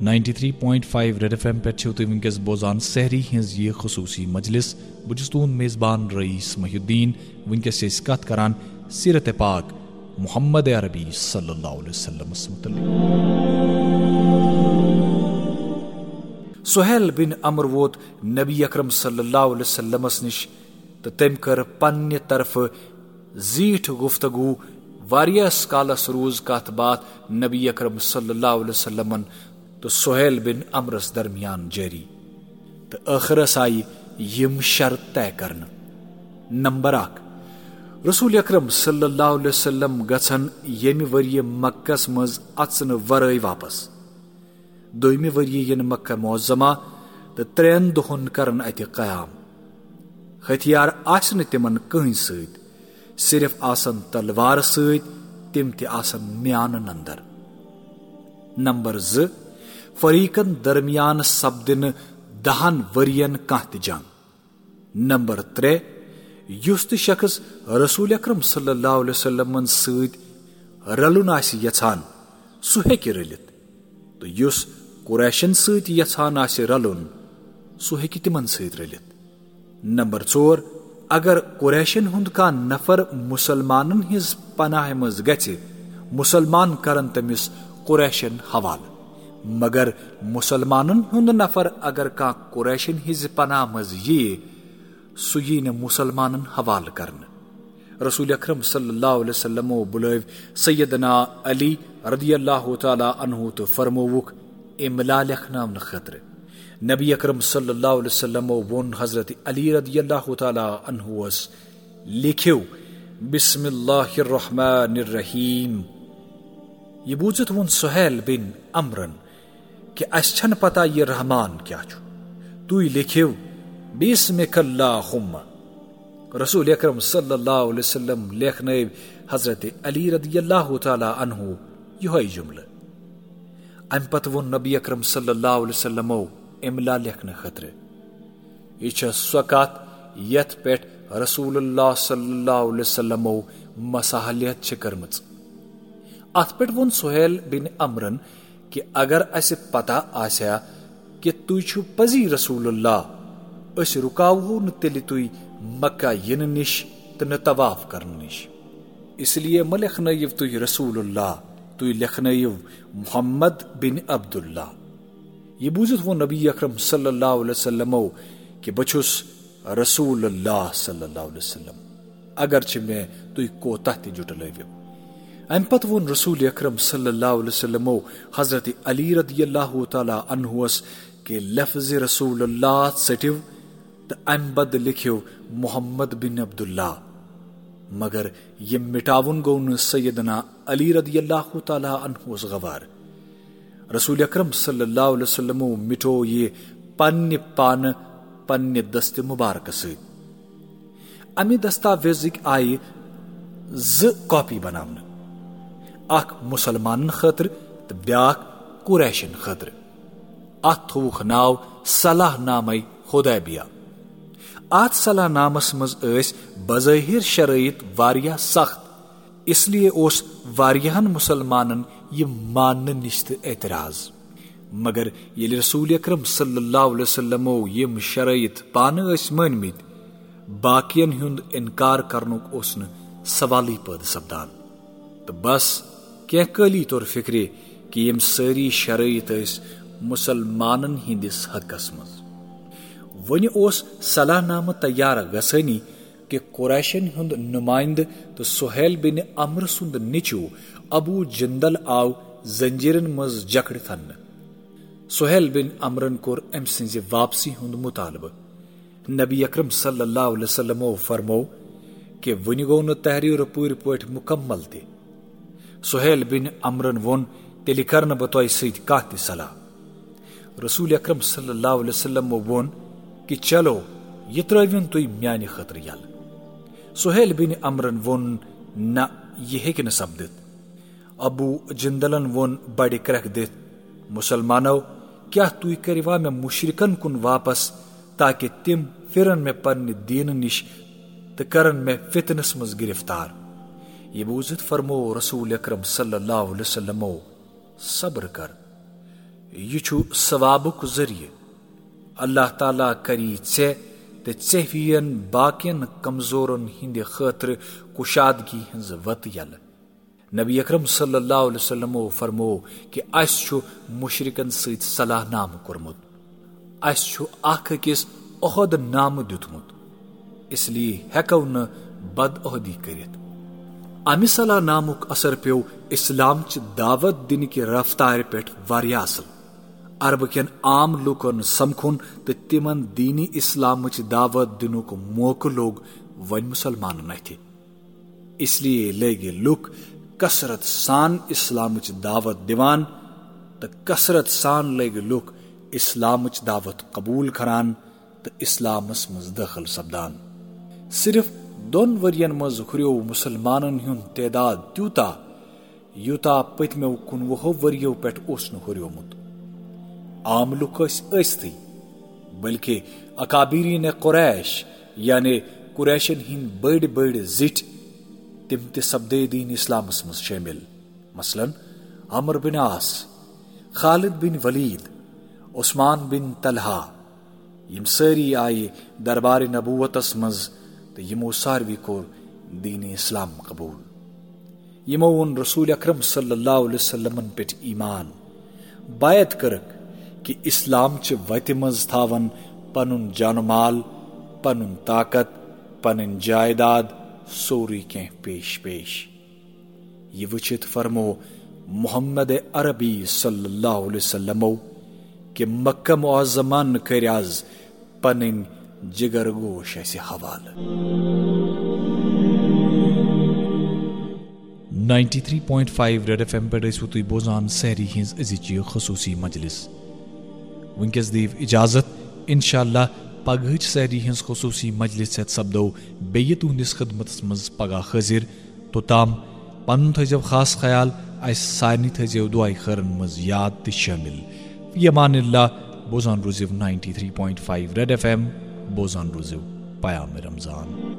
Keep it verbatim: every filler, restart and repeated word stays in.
Ninety three point five red FM ایم پٮ۪ٹھ چھِو تُہۍ وٕنکیٚس بوزان سحری ہٕنٛز یہِ خصوٗصی مجلس۔ بہٕ چھُس تُہُنٛد میزبان رئیس محی الدین۔ وٕنکیٚس چھِ أسۍ کتھ کران سیرت پاک محمد عربی صلی اللہ علیہ وسلمس متعلق۔ سہیل بن عمرو ووت نبی اکرم صلی اللہ علیہ وسلمس نِش تہٕ تٔمۍ کٔر پننہِ طرفہٕ زیٖٹھ گفتگو۔ واریاہس کالس روٗز کتھ باتھ نبی اکرم صلی اللہ علیہ وسلمن تہٕ سہیل بن عمرس درمیان جٲری، تہٕ ٲخرس آیہِ یِم شرط طے کرنہٕ۔ نمبر اکھ، رسول اکرم صلی اللہ علیہ وسلم گژھن ییٚمہِ ؤریہِ مکس منٛز اژنہٕ ورٲے واپس۔ دوٚیمہِ ؤریہِ یِن مکہ معظمہ تہٕ ترٛٮ۪ن دۄہن کرن اتہِ قیام۔ ہتھیار آسہِ نہٕ تِمن کٕہٕنۍ سۭتۍ، صرف آسن تلوار سۭتۍ، تِم تہِ آسن میانہٕ نندر۔ نمبر زٕ، فریقن درمیان سپدِ نہٕ دہن ؤرین کانٛہہ تہِ جنگ۔ نمبر ترٛےٚ، یُس تہِ شخص رسول اکرم صلی اللہ علیہ وسلمن سۭتۍ رلُن آسہِ یژھان، سُہ ہیٚکہِ رٔلِتھ، تہٕ یُس قریشن سۭتۍ یژھان آسہِ رلُن، سُہ ہیٚکہِ تِمن سۭتۍ رٔلِتھ۔ نمبر ژور، اگر قریشن ہُنٛد کانٛہہ نفر مسلمانن ہٕنٛز پناہہِ منٛز گژھِ، مسلمان کرن تٔمِس قریشن حوالہٕ، مگر مسلمانن ہُنٛد نفر اگر کانٛہہ قریشن ہٕنٛزِ پناہ منٛز ییہِ، سُہ یی نہٕ مسلمانن حوالہٕ کرنہٕ۔ رسول اکرم صلی اللہ علیہ وسلمو بُلٲوۍ سیدنا علی رضی اللہ تعالیٰ عنہ تہٕ فرمووُکھ املا لیکھناونہٕ خٲطرٕ۔ نبی اکرم صلی اللہ علیہ وسلمو ووٚن حضرت علی رضی اللہ تعالیٰ عنہس، "لیکھِو بسم اللہ الرحمن الرحیم۔" یہِ بوٗزِتھ ووٚن سہیل بن عمرن کہِ اسہِ چھنہٕ پتہ یہِ رحمان کیٛاہ چھُ، تُہۍ لیکھِو بسمک اللہم۔ رسول اکرم صلی اللہ علیہ وسلم لیکھنٲوۍ حضرت علی رضی اللہ تعالیٰ عنہ یِہوٚے جملہٕ۔ امہِ پتہٕ ووٚن نبی اکرم صلی اللہ علیہ وسلمو املا لیکھنہٕ خٲطرٕ۔ یہِ چھےٚ سۄ کتھ یتھ پٮ۪ٹھ رسول اللہ صلی اللہ علیہ وسلمو مصالحت چھِ کٔرمٕژ۔ اتھ پٮ۪ٹھ ووٚن سہیل بن عمرن کہِ اگر اسہِ پتہ آسہِ ہا کہِ تُہۍ چھِو پزی رسول اللہ، أسۍ رُکاوہو نہٕ تیٚلہِ تُہۍ مکہ یِنہٕ نِش تہٕ نہٕ طواف کرنہٕ نِش۔ اس لیے مہ لیکھنٲیِو تُہۍ رسول اللہ، تُہۍ لیکھنٲیِو محمد بن عبداللہ۔ یہِ بوٗزِتھ ووٚن نبی اکرم صلی اللہ علیہ وسلمو کہِ بہٕ چھُس رسول اللہ صلی اللہ علیہ وسلم، اگرچہ مےٚ تُہۍ کوتاہ تہِ جُٹلٲوِو۔ امہِ پتہٕ ووٚن رسول اکرم صلی اللہ علیہ وسلمو حضرت علی رضی اللہ تعالیٰ عنہس کہِ لفظ رسول اللہ ژٔٹِو تہٕ امہِ بدلہٕ لیکھِو محمد بن عبداللہ۔ مگر یہِ مٹاوُن گوٚو نہٕ سیدنا علی رضی اللہ تعالیٰ عنہس گوارٕ۔ رسول اکرم صلی اللہ علیہ وسلمو مٹو یہِ پننہِ پانہٕ پننہِ دست مبارکہٕ سۭتۍ۔ امہِ دستاویزٕکۍ آیہِ زٕ کاپی بناونہٕ، اکھ مسلمانن خٲطرٕ تہٕ بیاکھ قریشن خٲطرٕ۔ اتھ تھووُکھ ناو صلاح نامہ حدیبیہ۔ اتھ صلاح نامس منٛز ٲسۍ بظٲہر شرٲیط واریاہ سخت، اس لیے اوس واریاہن مسلمانن یہِ ماننہٕ نِش تہِ اعتراض۔ مگر ییٚلہِ رسول اکرم صلی اللہ علیہ وسلمو یِم شرٲیط پانہٕ ٲسۍ مٲنمٕتۍ، باقین ہُنٛد انکار کرنُک اوس نہٕ سوالٕے پٲدٕ سپدان۔ تہٕ بس، کینٛہہ کٲلی توٚر فکرِ کہِ یِم سٲری شرٲیط ٲسۍ مسلمانن ہٕنٛدِس حقس منٛز۔ وۄنہِ اوس صلاح نامہٕ تیار گژھٲنی کہِ قریشن ہُنٛد نمائندٕ تہٕ سہیل بن عمرو سُنٛد نیٚچو ابو جندل آو زنجیرن منٛز جکڑِتھ اننہٕ۔ سہیل بن عمرن کوٚر أمۍ سٕنٛزِ واپسی ہُنٛد مطالبہٕ۔ نبی اکرم صلی اللہ علیہ وسلمو فرموو کہِ وُنہِ گوٚو نہٕ تحریر پوٗرٕ پٲٹھۍ مکمل تہِ۔ سہیل بن عمرن ووٚن، "تیٚلہِ کرٕ نہٕ بہٕ تۄہہِ سۭتۍ کانٛہہ تہِ صلاح۔" رسول اکرم صلی اللہ علیہ وسلمو ووٚن کہِ، "چلو، یہِ ترٲوِن تُہۍ میانہِ خٲطرٕ یلہٕ۔" سہیل بن عمرن ووٚن، "نہ، یہِ ہیٚکہِ نہٕ سپدِتھ۔" ابو جندلن ووٚن بڑِ کرٛٮ۪کھ دِتھ، "مسلمانو، کیٛاہ تُہۍ کٔرِوا مےٚ مشرکن کُن واپس، تاکہ تِم پھرن مےٚ پننہِ دیٖنہٕ نِش تہٕ کرن مےٚ فتنس منٛز گرفتار؟" یہِ بوٗزِتھ فرموو رسول اکرم صلی اللہ علیہ وسلمو، "صبر کر، یہِ چھُ ثوابُک ذٔریعہٕ۔ اللہ تعالیٰ کری ژےٚ تہٕ ژےٚ ہِوٮ۪ن باقین کمزورن ہٕنٛدِ خٲطرٕ کُشادگی ہٕنٛز وتہٕ یلہٕ۔ نبی اکرم صلی اللہ علیہ وسلمو فرموو کہِ اسہِ چھُ مشرکن سۭتۍ صلاح نامہٕ کوٚرمُت۔ اسہِ چھُ اکھ أکِس عہد نامہٕ دیُتمُت، اس لیے ہٮ۪کو نہٕ بدعہدی کٔرِتھ۔ امہِ صلاح نامُک اثر پیوٚو اسلام چہِ دعوت دِنہٕ کہِ رفتارِ پٮ۪ٹھ واریاہ اصل۔ عربہٕ کٮ۪ن عام لوٗکن سمکھُن تہٕ تِمن دینی اسلامٕچ دعوت دِنُک موقعہٕ لوٚگ وۄنۍ مسلمانن اتھِ۔ اس لیے لٔگۍ لُکھ کثرت سان اسلامٕچ دعوت دِوان تہٕ کثرت سان لٔگۍ لُکھ اسلامٕچ دعوت قبول کران تہٕ اسلامس منٛز دٲخل سپدان۔ صرف دۄن ؤرین منٛز ہُریو مسلمانن ہُنٛد تعداد تیوٗتاہ، یوٗتاہ پٔتمیو کُنوُہو ؤریو پٮ۪ٹھ اوس نہٕ ہُریومُت۔ عام لُکھ ٲسۍ ٲستھٕے، بلکہ اکابرین قریش، یعنی قریشن ہٕنٛدۍ بٔڑۍ بٔڑۍ زِٹھۍ، تِم تہِ سپدے دین اسلامس منٛز شٲمِل۔ مثلاً، عمرو بن عاص، خالد بن ولید، عثمان بن طلحہ، یِم سٲری آیہِ دربار نبوتس منٛز تہٕ یِمو ساروی کوٚر دین اسلام قبول۔ یِمو اوٚن رسول اکرم صلی اللہ علیہ وسلمن پٮ۪ٹھ ایمان، بیعت کٔرٕکھ کہِ اسلام چہِ وتہِ منٛز تھاون پنُن جان و مال، پنُن طاقت، پنٕنۍ جائیداد، سورُے کینٛہہ پیش پیش۔ یہِ وٕچھِتھ فرمو محمد عربی صلی اللہ علیہ وسلمو کہِ مکہ معظمن کٔرۍ از پنٕنۍ جگر گوش اسہِ حوالہٕ۔ Ninety three point five red FM ایم پٮ۪ٹھ ٲسِو تُہۍ بوزان سحری ہٕنٛز أزِچ یہِ خصوٗصی مجلس۔ وٕنکیٚس دِیِو اجازت، انشاءاللہ پگہٕچ سحری ہٕنٛز خصوٗصی مجلس ہٮ۪تھ سپدو بیٚیہِ تُہنٛدِس خدمتس منٛز پگاہ حٲضِر۔ توٚتام پنُن تھٲیزیو خاص خیال، اسہِ سارنٕے تھٲیزیو دُعاے خٲرن منٛز یاد تہٕ شٲمِل۔ فی امان اللہ، بوزان روٗزِو ninety three point five red FM ایم، بوزان روٗزِو پیام رمضان۔